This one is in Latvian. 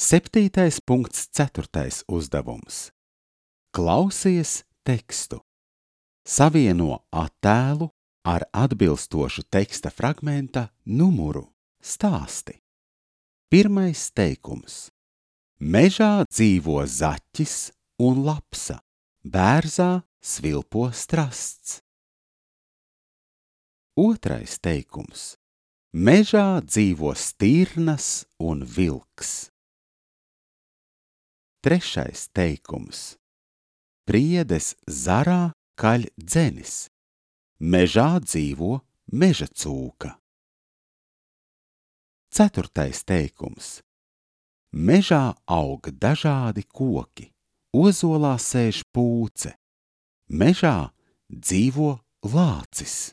7.4. uzdevums. Klausies tekstu. Savieno attēlu ar atbilstošu teksta fragmenta numuru. Stāsti. Pirmais teikums. Mežā dzīvo zaķis un lapsa, bērzā svilpo strasts. Otrais teikums. Mežā dzīvo stirnas un vilks. Trešais teikums. Priedes zarā kaļ dzenis. Mežā dzīvo meža cūka. Ceturtais teikums. Mežā aug dažādi koki, ozolā sēž pūce. Mežā dzīvo lācis.